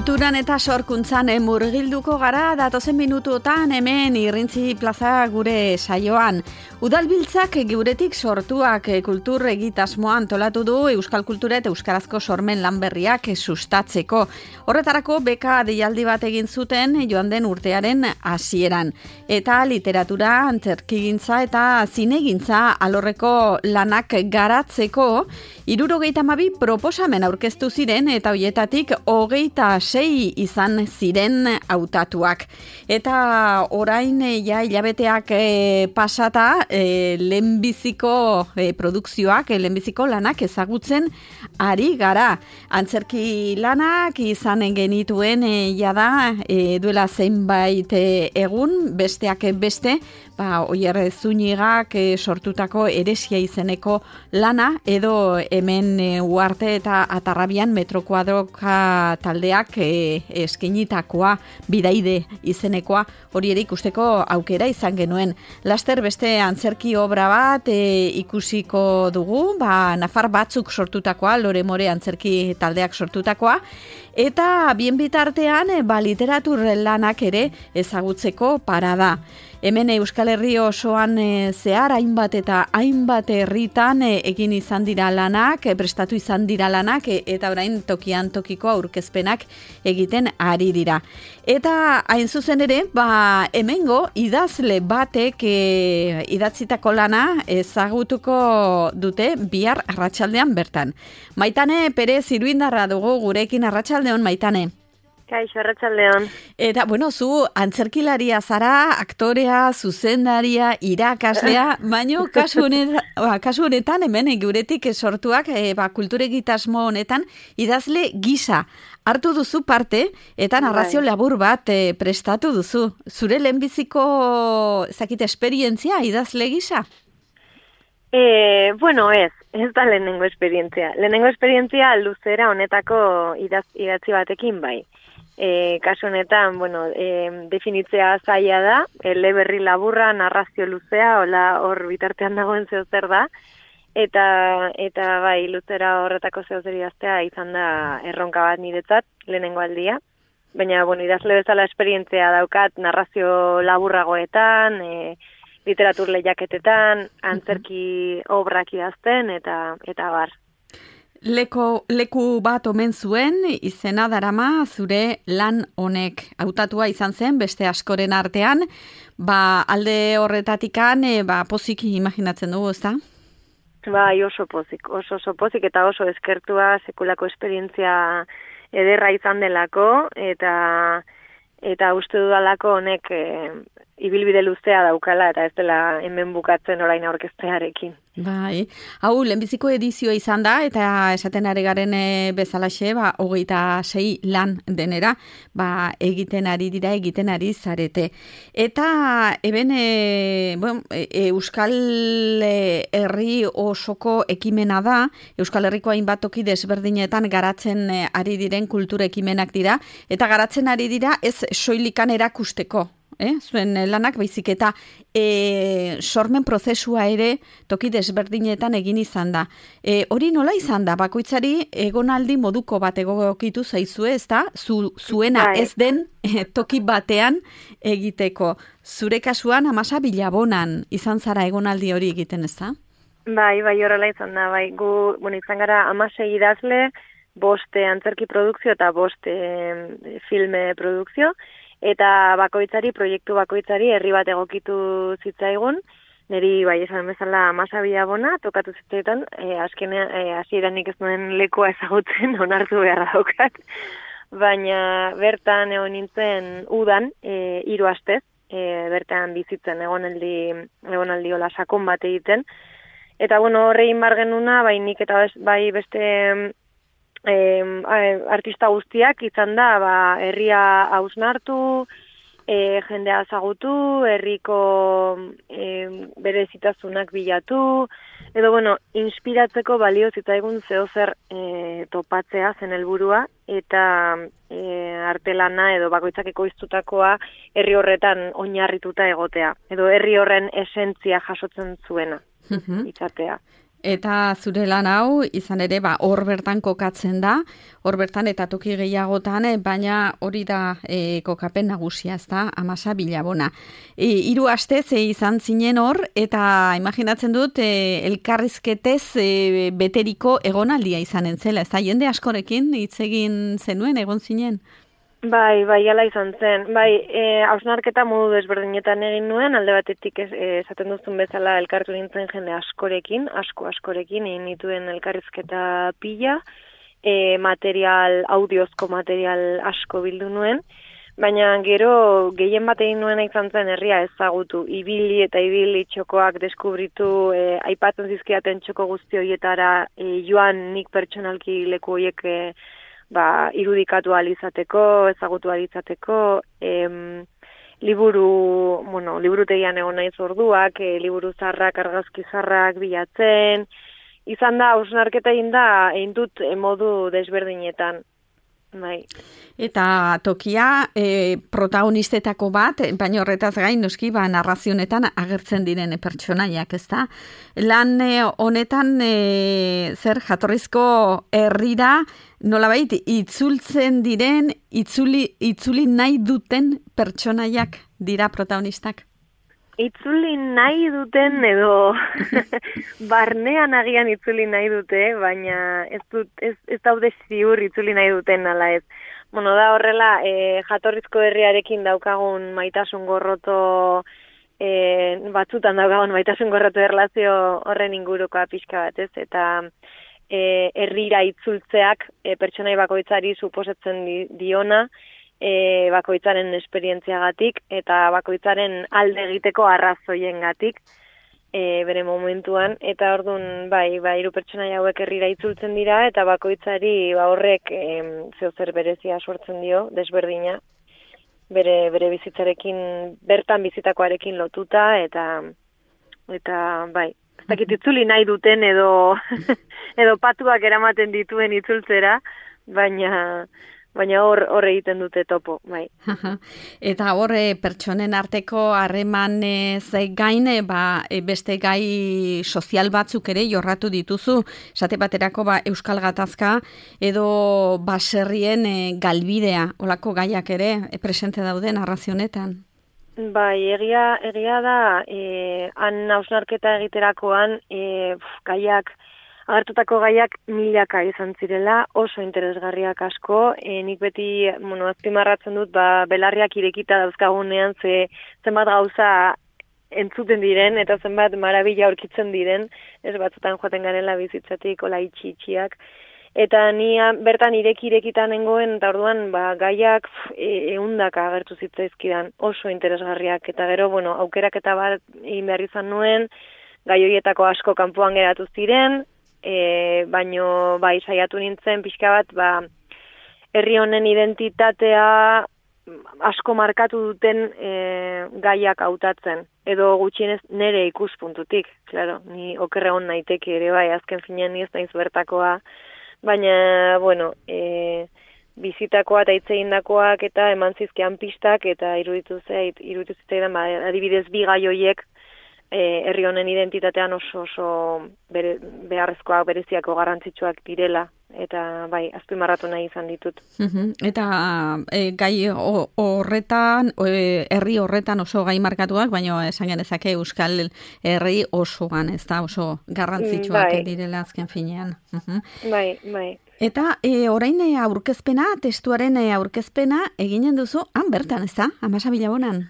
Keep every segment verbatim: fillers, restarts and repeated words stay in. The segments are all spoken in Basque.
Kulturan eta sorkuntzan murgilduko gara datozen minutuotan hemen Irrintzi Plaza gure saioan. Udalbiltzak guretik sortuak kultur egitasmoa antolatu du Euskal Kultura eta Euskarazko sormen lanberriak sustatzeko. Horretarako beka deialdi bat egin zuten joan den urtearen hasieran. Eta literatura, antzerkigintza eta zinegintza alorreko lanak garatzeko hirurogeita hamabi proposamen aurkeztu ziren eta hoietatik hogeita sei izan ziren hautatuak. Eta orain ja hilabeteak e, pasata e, lehenbiziko e, produkzioak, e, lehenbiziko lanak ezagutzen ari gara. Antzerki lanak izan genituen e, jada e, duela zeinbait e, egun, besteak beste, ba, Oier Zunigak e, sortutako Eresia izeneko lana, edo hemen e, Uarte eta Atarrabian Metro Kuadroka taldeak e, eskenitakoa, Bidaide izenekoa, hori ere ikusteko aukera izan genuen. Laster beste antzerki obra bat e, ikusiko dugu, ba, Nafar batzuk sortutakoa, Lore More antzerki taldeak sortutakoa, eta bien bitartean e, ba, literatur lanak ere ezagutzeko parada. Hemen Euskal Herri osoan e, zehar hainbat eta hainbat herritan e, egin izan dira lanak, e, prestatu izan dira lanak, e, eta orain tokian tokiko aurkezpenak egiten ari dira. Eta hain zuzen ere, ba, hemengo idazle batek e, idatzitako lana ezagutuko dute bihar arratsaldean bertan. Maitane Perez Iruindarra dugu gurekin. Arratsaldeon, Maitane. Kaixo, arratsaldeon. Eta, bueno, zu antzerkilaria zara, aktorea, zuzendaria, irakaslea, baino kasu honetan, ba, kasu honetan hemen guretik sortuak e, ba, kultur egitasmo honetan idazle gisa hartu duzu parte eta narrazio bai. labur bat e, prestatu duzu. Zure lehenbiziko zakit esperientzia idazle gisa? E, bueno, ez, ez da lehenengo esperientzia. Lehenengo esperientzia luzera honetako idaz, idatzi batekin bai. E, kasu honetan, bueno, e, definitzea zaila da, eleberri laburra, narrazio luzea, hola hor bitartean dagoen zeo zer da, eta eta bai, luzera horretako zeo zer idaztea izan da erronka bat niretzat, lehenengo aldia. Baina, bueno, idazle bezala esperientzia daukat narrazio laburragoetan, e, literatur lehiaketetan, antzerki obrak idazten, eta eta bar. Leko, leku bat omen zuen, izena darama zure lan honek. Hautatua izan zen, beste askoren artean, ba, alde horretatikan, e, ba, pozik imaginatzen dugu, ezta? Bai, oso pozik, oso, oso pozik, eta oso eskertua sekulako esperientzia ederra izan delako, eta eta uste dudalako honek e, ibilbide luzea daukala, eta ez dela hemen bukatzen orain aurkeztearekin. Bai, hau lehenbiziko edizioa izan da, eta esaten ari garen e, bezalaxe, ba, hogeita sei lan denera, ba, egiten ari dira, egiten ari zarete. Eta eben, e, bueno, e, Euskal Herri osoko ekimena da, Euskal Herriko hainbat toki desberdinetan garatzen e, ari diren kultur ekimenak dira, eta garatzen ari dira ez soilikan erakusteko. Eh? Zuen lanak baizik eta e, sormen prozesua ere toki desberdinetan egin izan da. E, hori nola izan da? Bakoitzari egonaldi moduko bat egokitu zaizue, ez da? Zu, zuena ez den e, toki batean egiteko. Zure kasuan Amasa Bilabonan izan zara egonaldi hori egiten, ez da? Bai, bai, horrela izan da. Bai. Gu, bueno, izan gara hamasei idazle, boste antzerki produkzio eta boste e, filme produkzio, eta bakoitzari, proiektu bakoitzari herri bat egokitu zitzaigun, niri bai esan bezala Amasa Bilabona tokatu zitzaitan, e, azkenean e, hasieran nik ez nuen lekua ezagutzen onartu beharra daukat, baina bertan egon nintzen udan, e, hiru astez, e, bertan bizitzen egonaldi, egonaldi hola sakon bat egiten, eta bueno, horrein bar genuna, bai nik eta bai beste Eh, artista guztiak izan da, ba, herria hausnartu, eh, jendea ezagutu, herriko eh, berezitasunak bilatu, edo bueno, inspiratzeko balio zitzaigun zeozer eh, topatzea zen helburua, eta eh, artelana edo bakoitzak ekoiztutakoa herri horretan oinarrituta egotea, edo herri horren esentzia jasotzen zuena, izatea. Eta zure lan hau, izan ere, ba, hor bertan kokatzen da, hor bertan eta toki gehiagotan, baina hori da e, kokapen nagusia, ez da, Amasa Bilabona. E, hiru astez e, izan zinen hor, eta imaginatzen dut, e, elkarrizketez e, beteriko egonaldia izanen zela, ez da, jende askorekin hitz egin zenuen, egon zinen? Bai, bai, ala izan zen. Bai, e, hausnarketa modu desberdinetan egin nuen, alde batetik ez, e, esaten duzun bezala elkartu nintzen jende askorekin, asko askorekin, egin nituen elkarrizketa pila, e, material, audiozko material asko bildu nuen, baina gero gehien bat egin nuen izan zen herria ezagutu, ibili eta ibili txokoak deskubritu, e, aipatzen zizkiaten txoko guzti horietara e, joan nik pertsonalki leku horiek e, ba, irudikatu alizateko, ezagutu alizateko, em, liburu, bueno, liburutegian egon naiz orduak, e, liburu zarrak, argazki zarrak bilatzen, izan da, hausnarketa egin da, egin dut e, modu desberdinetan. Bai. Eta tokia e, protagonistetako bat, baina horretaz gain noski ba narrazionetan agertzen diren pertsonaiak, ezta? Lan e, honetan e, zer jatorrizko herrira nolabait itzultzen diren, itzuli itzuli nahi duten pertsonaiak dira protagonistak. Itzuli nahi duten edo barnean agian itzuli nahi dute, baina ez, dut, ez, ez daude ziur itzuli nahi duten ala ez. Bueno, da horrela, e, jatorrizko herriarekin daukagun maitasun gorroto, e, batzutan daukagun maitasun gorroto erlazio horren ingurukoa pixka bat ez, eta e, herrira itzultzeak e, pertsonai bakoitzari suposatzen di, diona, E, bakoitzaren esperientziagatik eta bakoitzaren alde egiteko arrazoiengatik e, bere momentuan, eta orduan bai, bai, hiru pertsonaia hauek herrira itzultzen dira eta bakoitzari ba horrek e, zeozer berezia sortzen dio, desberdina, bere bere bizitzarekin, bertan bizitakoarekin lotuta eta eta bai, ez dakit itzuli nahi duten edo edo patuak eramaten dituen itzultzera, baina Baina hor hor egiten dute topo, bai. Eta hor pertsonen arteko harremanez gain, ba, beste gai sozial batzuk ere jorratu dituzu, esate baterako ba, Euskal Gatazka edo baserrien e, galbidea, olako gaiak ere e, presente daude narrazionetan. Bai, egia, egia da, e, han hausnarketa egiterakoan e, gaiak, agertutako gaiak milaka izan zirela, oso interesgarriak asko, e, nik beti, bueno, azpimarratzen dut, ba, belarriak irekita dauzkagunean, ze zenbat gauza entzuten diren, eta zenbat marabila aurkitzen diren, ez batzutan joaten garela bizitzatik, ola itxi-itxiak, eta ni bertan ireki-irekitan nengoen, eta orduan, ba, gaiak e, eundaka agertu zitzaizkidan, oso interesgarriak, eta gero, bueno, aukerak eta bat egin behar izan nuen, gai horietako asko kanpoan geratu ziren, E, baino bai saiatu nintzen pixka bat ba, herri honen identitatea asko markatu duten e, gaiak hautatzen edo gutxienez nere ikuspuntutik, claro, ni okerregon naiteke ere bai, azken finean ni ez naiz bertakoa, baina bueno, e, bizitakoa eta hitz egindakoak eta eman zizkian pistak eta iruditu zait, iruditu zitzaidan ba, adibidez bi gai horiek E, herri honen identitatean oso oso bere, beharrezkoak bereziako garrantzitsuak direla eta bai, azpimarratu nahi izan ditut. Uh-huh. Eta e, gai horretan, e, herri horretan oso gai markatuak, baina esan genezake Euskal Herri osoan, ez da oso garrantzitsuak bai. Direla azken finean. Uh-huh. Bai, bai. Eta e, orain aurkezpena, testuaren aurkezpena eginen duzu, han bertan, ez da, Amasa Bilabonan?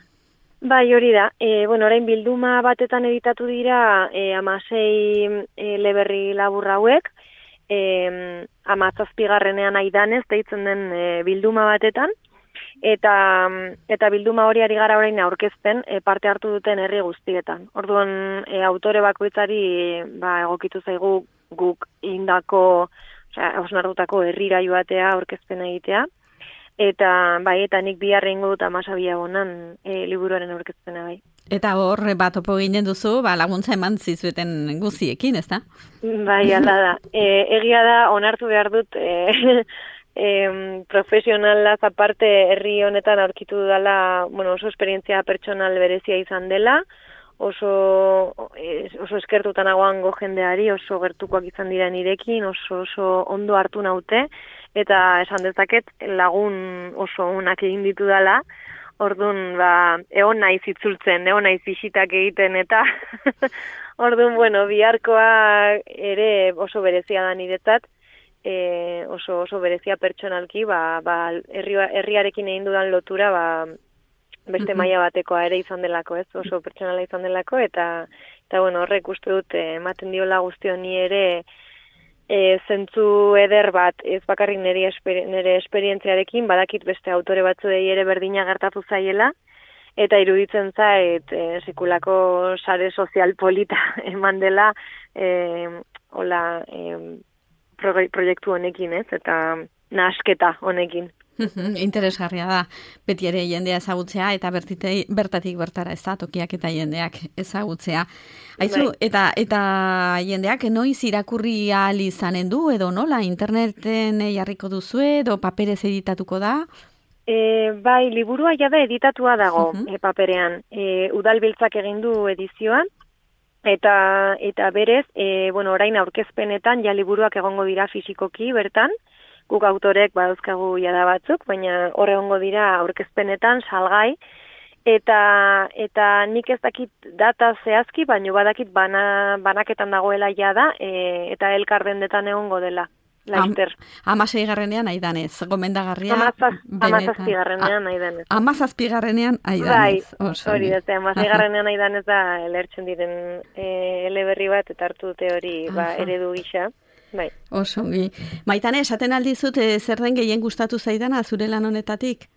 Bai, hori da. E, bueno, orain bilduma batetan editatu dira e, amasei e, leberri laburra hauek, e, amazazpigarrenean aidanez, deitzen den e, bilduma batetan, eta eta bilduma hori ari gara orain aurkezten e, parte hartu duten herri guztietan. Orduan, e, autore bakoitzari ba, egokitu zaigu guk indako, osea, hausnartutako herrira joatea aurkezpena egitea. Eta bai, eta nik bihar egingo dut Amasa Bilabonan e, liburuaren aurkezpena bai. Eta hor bat topo ginen duzu, ba, laguntza eman zizueten guziekin, ez da? Bai, ala da. E, egia da, onartu behar dut, e, e, profesionalaz aparte herri honetan aurkitu dela, bueno, oso esperientzia pertsonal berezia izan dela, oso, oso eskertutan nagoango jendeari, oso gertukoak izan dira nirekin, oso, oso ondo hartu naute, eta esan dezaket lagun oso onak egin ditu dela, orduan, ba, egon naiz itzultzen, egon naiz bisitak egiten, eta orduan, bueno, biharkoa ere oso berezia da niretzat, e, oso, oso berezia pertsonalki, ba, ba, herri, herriarekin egin dudan lotura, ba, beste maila batekoa ere izan delako, ez, oso pertsonala izan delako, eta, eta bueno, horrek uste dut, ematen diola guztio ni ere, E, zentzu eder bat, ez bakarrik nire, esper, nire esperientziarekin, badakit beste autore batzuei ere berdina gertatu zaiela, eta iruditzen zait, e, sekulako sare sozial polita eman dela, e, hola, e, pro, proiektu honekin, ez, eta nahasketa honekin. Interesgarria da, beti ere jendea ezagutzea eta bertitei, bertatik bertara ez da, tokiak eta jendeak ezagutzea. Aizu, eta, eta jendeak noiz irakurri ahal izanen du, edo nola, interneten jarriko duzu edo paperez editatuko da? E, bai, liburua jada editatua dago uh-huh. e, paperean. E, Udalbiltzak egin du edizioan, eta, eta berez, e, bueno, orain aurkezpenetan ja liburuak egongo dira fisikoki bertan, guk autorek badauzkagu jada batzuk, baina hor egongo dira aurkezpenetan salgai, eta eta nik ez dakit data zehazki, baina badakit bana, banaketan dagoela jada, e, eta elkar dendetan egongo dela. Laster. Amasei garrenean aidanez, gomendagarria. Amazazpi garrenean aidanez. Amazazpi garrenean aidanez. Bai, hori da, amasei garrenean aidanez da lertzen diren e, eleberri bat, eta hartu dute hori ba, eredu gisa. Bai. Osongi. Maitane, esaten aldizut, e, zer den gehien gustatu zaidana zure lan honetatik?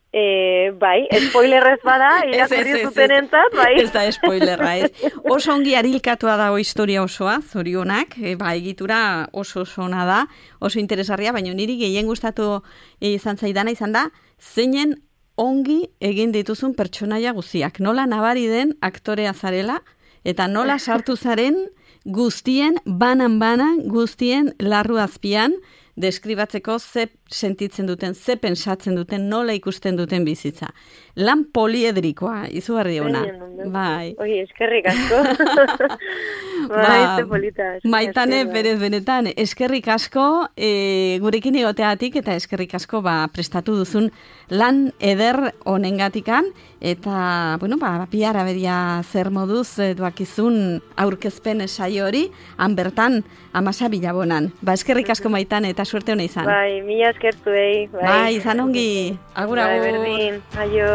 E, bai, spoilerrez bada, irakurri zuten entzat, bai. Ez da spoilerra, ez. Oso ongi arilkatua dago historia osoa, zorionak, e, ba, egitura oso oso ona da, oso interesgarria, baina niri gehien gustatu izan zaidana izan da, zeinen ongi egin dituzun pertsonaia guztiak. Nola nabari den aktorea zarela, eta nola sartu zaren guztien, banan-banan, guztien larru azpian, deskribatzeko ze sentitzen duten, ze pensatzen duten, nola ikusten duten bizitza. Lan poliedrikoa, izugarri ona. Bai. Oi, eskerrik asko. Bai, ze polita. Maitane, berez benetan, eskerrik asko e, gurekin egoteatik, eta eskerrik asko ba, prestatu duzun lan eder honengatikan, eta, bueno, ba, piara beria zer moduz e, duakizun aurkezpen saio hori, han bertan, amasa bilabonan. Ba, eskerrik asko Maitane, eta suerte hona izan. Bai, mila eskertuei. Bai, bai izan ongi. Agur, agur. Bai, berdin. Aio.